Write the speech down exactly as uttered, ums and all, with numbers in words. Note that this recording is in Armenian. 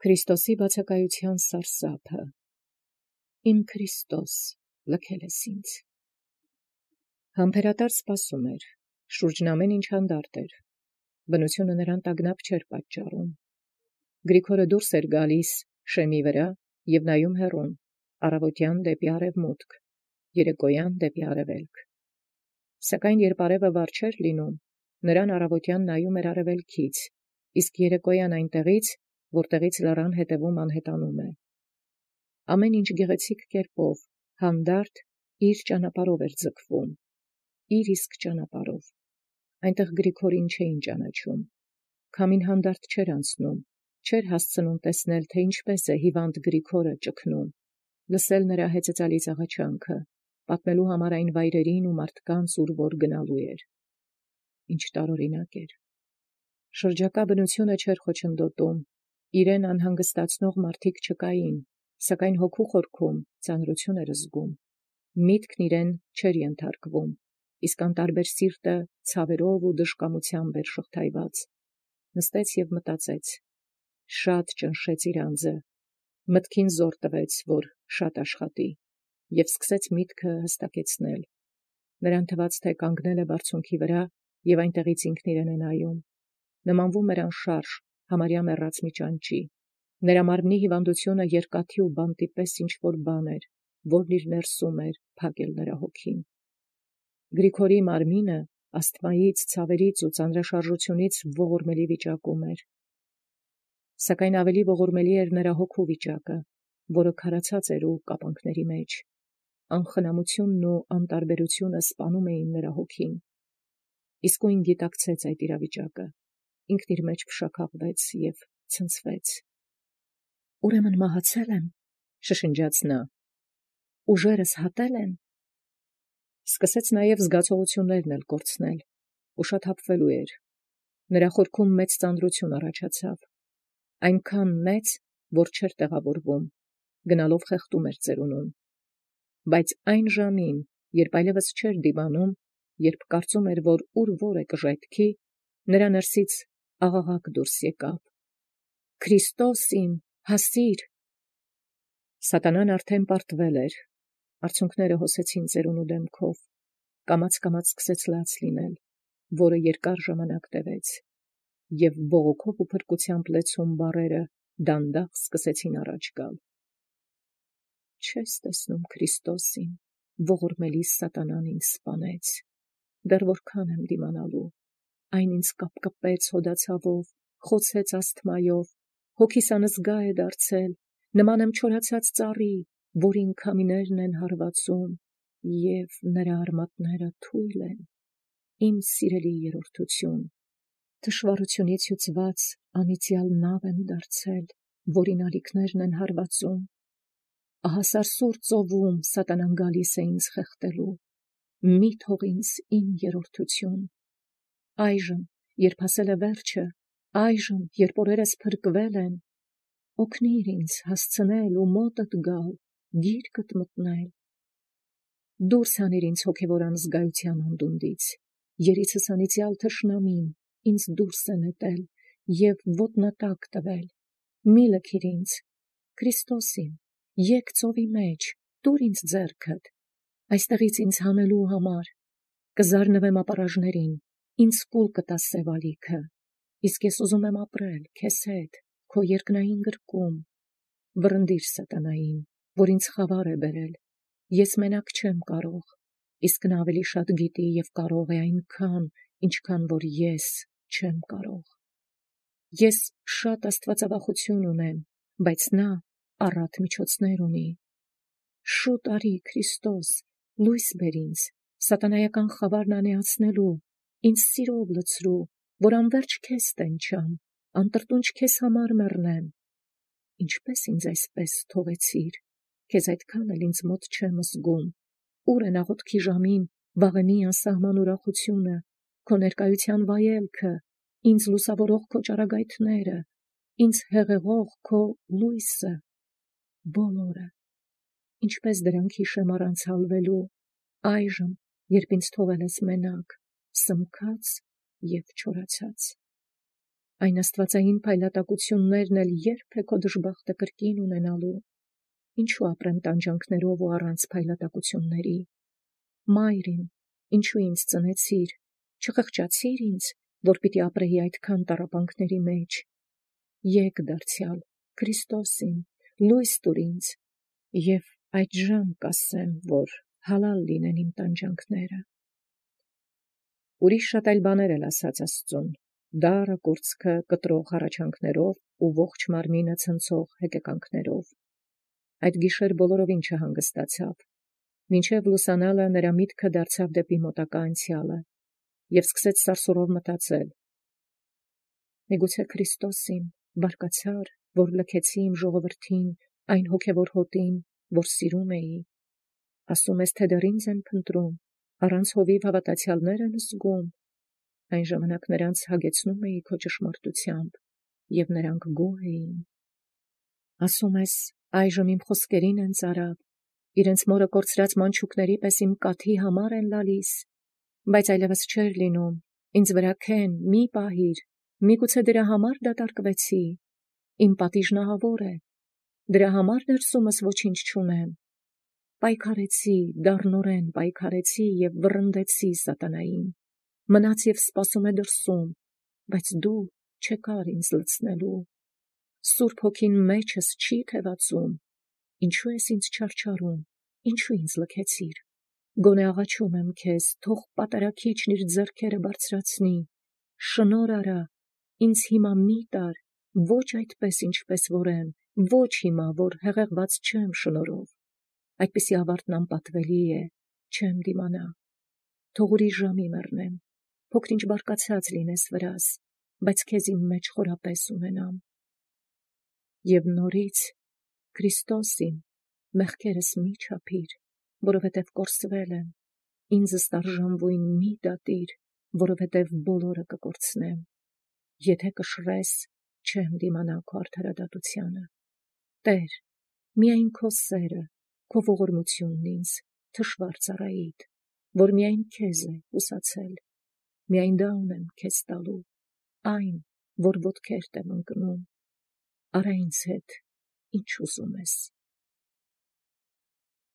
Քրիստոսի բացակայության սարսափը։ Իմ Քրիստոս, լքել ես ինձ։ Համբերատար սպասում էր, շուրջն ամեն ինչ հանդարտ էր, բնությունը նրան տագնապ չէր պատճառում։ Գրիգորը դուրս էր գալիս շեմի վրա և նայում հեռուն, առավոտյան դեպի արևմուտք, երեկոյան դեպի արևելք։ Սակայն երբ արևը վառ չէր լինում, նրան առավոտյան նայում էր արևելքից, իսկ երեկոյան այնտեղից, որտեղից լեռան հետևում անհետանում է։ Ամեն ինչ գեղեցիկ կերպով, հանդարտ իր ճանապարհով էր ձգվում, իր իսկ ճանապարհով։ Այնտեղ Գրիգորին չէին ճանաչում, քամին հանդարտ չէր անցնում, չէր հասցնում տեսնել, թե ինչպես է հիվանդ Գրիգորը ճգնում, լսել նրա հեծեծալից աղաչանքը, պատմելու համար այն վայրերին ու մարդկանց, ուր որ գնալու էր։ Ինչ տարօրինակ էր։ Շրջակա բնությունը չէր խոչընդոտում, իրեն անհանգստացնող մարդիկ չկային, սակայն հոգու խորքում ծանրություն էր զգում, միտքն իրեն չէր ենթարկվում, իսկ անտարբեր սիրտը ցավերով ու դժկամությամբ էր շղթայված։ Նստեց և մտածեց, շատ ճնշեց իր անձը, մտքին զոր տվեց, որ շատ աշխատի, և սկսեց միտքը հստակեցնել։ Նրան թվաց, թե կանգնել է բարձունքի վրա և այնտեղից ինքն իրեն է նայում, նմանվում էր անշարժ, համարյա մեռած մի ճանճի։ Նրա մարմնի հիվանդությունը երկաթի ու բանտի պես ինչ-որ բան էր, որն իր ներսում էր փակել նրա հոգին։ Գրիգորի մարմինը ասթմայից, ցավերից ու ծանրաշարժությունից ողորմելի վիճակում էր։ Սակայն ավելի ողորմելի էր նրա հոգու վիճակը, որը քարացած էր ու կապանքների մեջ։ Անխնամությունն ու անտարբերությունը սպանում էին նրա հոգին։ Իսկույն գիտակցեց այդ իրավիճակը, ինքն իր մեջ փշաքաղվեց և ցնցվեց։ Ուրեմն մահացել եմ, շշնջաց նա, ուժերս հատել են։ Սկսեց նաև զգացողություններն էլ կորցնել, ուշաթափվելու էր։ Նրա խորքում մեծ ծանրություն առաջացավ, այնքան մեծ, որ չէր տեղավորվում, գնալով խեղդում էր ծերունում։ Բայց այն ժամին, երբ այլևս չէր դիվանում, երբ կարծում էր, որ ուր որ է կժայթքի, նրա ներսից աղաղակ դուրս եկավ. «Քրիստոս իմ, հասիր»։ Սատանան արդեն պարտվել էր, արցունքները հոսեցին ծերունու դեմքով, կամաց-կամաց սկսեց լաց լինել, որը երկար ժամանակ տևեց, և բողոքով ու փրկությամբ լեցուն բառերը դանդաղ սկսեցին առաջ գալ։ Չես տեսնում, Քրիստոս իմ, ողորմելի սատանան ինձ սպանեց, դեռ որքան եմ դիմանալու, այն ինձ կապկպեց հոդացավով, խոցեց ասթմայով, հոգիս անզգա է դարձել, նման եմ չորացած ծառի, որին քամիներն են հարվածում, և նրա արմատները թույլ են։ Իմ սիրելի երրորդություն, թշվառությունից հյուծված անիծյալ նավ եմ դարձել, որին ալիքներն են հարվածում։ Ահա սարսուռ ծովում սատանան գալիս է ինձ խեղդելու, մի թող ինձ իմ երրորդություն։ Այժմ, երբ հասել է վերջը, այժմ, երբ օրերս փրկվել են, օգնիր ինձ հասցնել ու մոտդ գալ, գիրկդ մտնել։ Դուրս հանիր ինձ հոգևոր անզգայության անդունդից, երիցս անիծյալ թշնամին ինձ դուրս է նետել և ոտնատակ տվել, մի լքիր ինձ, Քրիստոս իմ, եկ ծովի մեջ, տուր ինձ ձեռքդ, այստեղից ինձ հանելու համար, կզարնվեմ ապարաժներին, ինձ կուլ կտաս սև ալիքը, իսկ ես ուզում եմ ապրել քեզ հետ, քո երկնային գրկում։ Վռնդիր սատանային, որ ինձ խավար է բերել, ես մենակ չեմ կարող, իսկ նա ավելի շատ գիտի և կարող է այնքան, ինչքան որ ես չեմ կարող։ Ես շատ աստվածավախություն ունեմ, բայց նա առատ միջոցներ ունի։ Շուտ արի, Քրիստոս, լույս բեր ինձ, սատանայական խավարն անեացնելու, ինձ սիրով լցրու, որ անվերջ քեզ տենչամ, անտրտունջ քեզ համար մեռնեմ։ Ինչպես ինձ այսպես թողեցիր, քեզ այդքան էլ ինձ մոտ չեմ զգում, ուր են աղոթքի ժամին վաղեմի անսահման ուրախությունը, քո ներկայության վայելքը, ինձ լուսավորող քո ճառագայթները, ինձ հեղեղող քո լույսը, բոլորը, ինչպես դրանք հիշեմ առանց հալվելու, այժմ, երբ ինձ թողել ես մենակ, սմքած և չորացած։ Այն աստվածային փայլատակություններն էլ երբ է քո դժբախտը կրկին ունենալու, ինչու ապրեմ տանջանքներով ու առանց փայլատակությունների։ Մայրին, ինչու ինձ ծնեցիր, չխղճացիր ինձ, որ պիտի ապրեի այդքան տառապանքների մեջ։ Եկ դարձյալ, Քրիստոսին, լույս տուր ինձ, և այդժամ կասեմ, որ հալալ լինեն իմ տանջանքները։ Ուրիշ շատ այլ բաներ էլ ասաց Աստծուն, դառը կուրծքը կտրող հառաչանքներով ու ողջ մարմինը ցնցող հեկեկանքներով։ Այդ գիշեր բոլորովին չհանգստացավ, մինչև լուսանալը նրա միտքը դարձավ դեպի մոտակա անցյալը, և սկսեց սարսուռով մտածել. միգուցե Քրիստոսին, բարկացար, որ լքեցի իմ ժողովրդին, այն հոգևոր հոտին, որ սիրում էի, ասում ես, թե դեռ ինձ են փնտրում, առանց հովիվ հավատացյալներ են զգում, այն ժամանակ նրանց հագեցնում էի քո ճշմարտությամբ, և նրանք գոհ էին։ Ասում ես, այժմ իմ խոսքերին են ծարավ, իրենց մորը կորցրած մանչուկների պես իմ կաթի համար են լալիս, բայց այլևս չէր լինում, ինձ վրա քեն, մի պահիր, միգուցե դրա համար դատարկվեցի, իմ պատիժն ահավոր է, դրա համար ներսումս ոչինչ չունեմ։ Պայքարեցի, դառնորեն պայքարեցի և վռնդեցի սատանային, մնաց և սպասում է դրսում, բայց դու չեկար ինձ լցնելու։ Սուրբ Հոգին մեջս չի թևածում, ինչու ես ինձ չարչարում, ինչու ինձ լքեցիր։ Գոնե աղաչում եմ քեզ, թող պատարագիչն իր ձեռքերը բարձրացնի, շնորհ արա, ինձ հիմա մի տար, ոչ այդպես, ինչպես որ եմ, ոչ հիմա, որ հեղեղված չեմ շնորհով, այդպիսի ավարտն անպատվելի է, չեմ դիմանա։ Թող ուրիշ ժամի մեռնեմ, փոքր-ինչ բարկացած լինես վրաս, բայց քեզ իմ մեջ խորապես ունենամ։ Եվ նորից, Քրիստոսին, մեղքերս մի չափիր, որովհետև կորսվել եմ, ինձս արժանվույն մի դատիր, որովհետև բոլորը կկորցնեմ։ Եթե կշռես, չեմ դիմանա քո արդարադատությանը։ Տեր, միայն քո սերը, քո ողորմությունն ինձ թշվառ ծառայիդ, որ միայն քեզ է կուսացել, միայն դա ունեմ քեզ տալու, այն, որ ոտքերդ եմ ընկնում, արա ինձ հետ, ինչ ուզում ես։